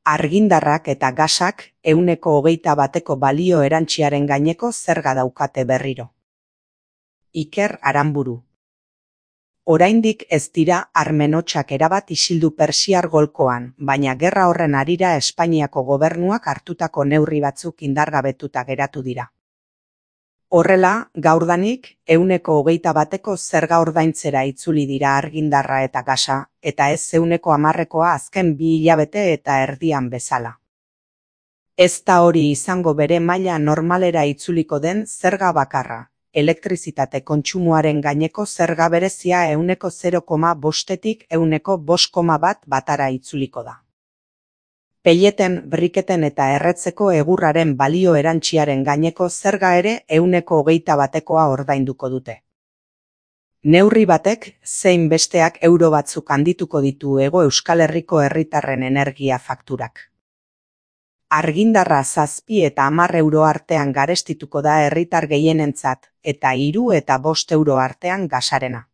Argindarrak eta gasak 21% balio erantsiaren gaineko zerga daukate berriro. Iker Aranburu. Oraindik ez dira armenotsak erabat isildu Persiar golkoan, baina gerra horren harira Espainiako gobernuak hartutako neurri batzuk indargabetuta geratu dira. Horrela, gaurdanik 21% zerga ordaintzera itzuli dira argindarra eta gasa, eta ez 10%koa azken 2 hilabete eta erdian bezala. Ez da hori izango bere maila normalera itzuliko den zerga bakarra. Elektrizitate kontsumoaren gaineko zerga berezia 0,5-tik 5,1 batara itzuliko da. Pelleten, briketen eta erretzeko egurraren balio erantsiaren gaineko zerga ere 21%koa ordainduko dute. Neurri batek zein besteak euro batzuk handituko ditu Hego Euskal Herriko herritarren energia fakturak. Argindarra 7 eta 10 euro artean garestituko da herritar gehienentzat, eta 3 eta 5 euro artean gasarena.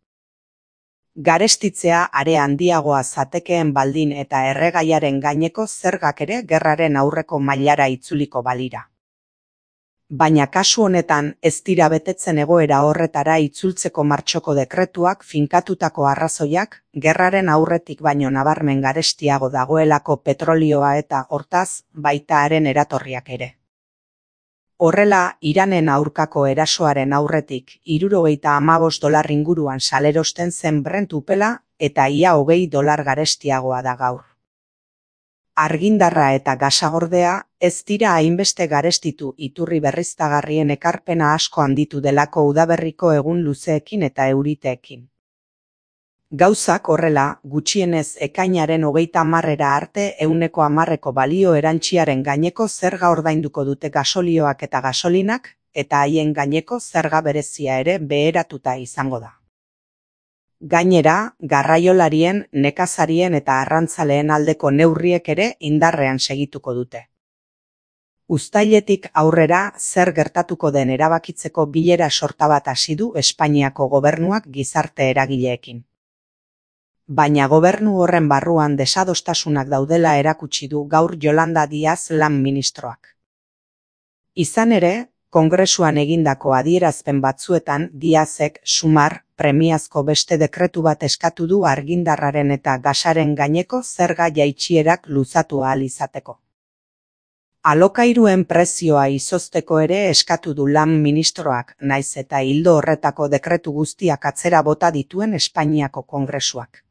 Garestitzea are handiagoa zatekeen baldin eta erregaiaren gaineko zergak ere gerraren aurreko mailara itzuliko balira. Baina kasu honetan ez dira betetzen egoera horretara itzultzeko martxoko dekretuak finkatutako arrazoiak, gerraren aurretik baino nabarmen garestiago dagoelako petrolioa eta hortaz baita haren eratorriak ere. Horrela, Iranen aurkako erasoaren aurretik $75 inguruan salerosten zen Brent upela eta ia $20 garestiagoa da gaur. Argindarra eta gasa ordea ez dira hainbeste garestitu iturri berriztagarrien ekarpena asko handitu delako udaberriko egun luzeekin eta euriteekin. Gauzak horrela, gutxienez ekainaren 30 arte 110ko balio erantsiaren gaineko zerga ordainduko dute gasolioak eta gasolinak, eta haien gaineko zerga berezia ere beheratuta izango da. Gainera, garraiolarien, nekazarien eta arrantzaleen aldeko neurriek ere indarrean segituko dute. Uztailetik aurrera zer gertatuko den erabakitzeko bilera sorta bat hasi du Espainiako gobernuak gizarte eragileekin. Baina gobernu horren barruan desadostasunak daudela erakutsi du gaur Yolanda Díaz lan ministroak. Izan ere, Kongresuan egindako adierazpen batzuetan Díazek sumar premiazko beste dekretu bat eskatu du argindarraren eta gasaren gaineko zerga jaitsierak luzatu ahal izateko. Alokairuen prezioa izozteko ere eskatu du lan ministroak, naiz eta ildo horretako dekretu guztiak atzera bota dituen Espainiako Kongresuak.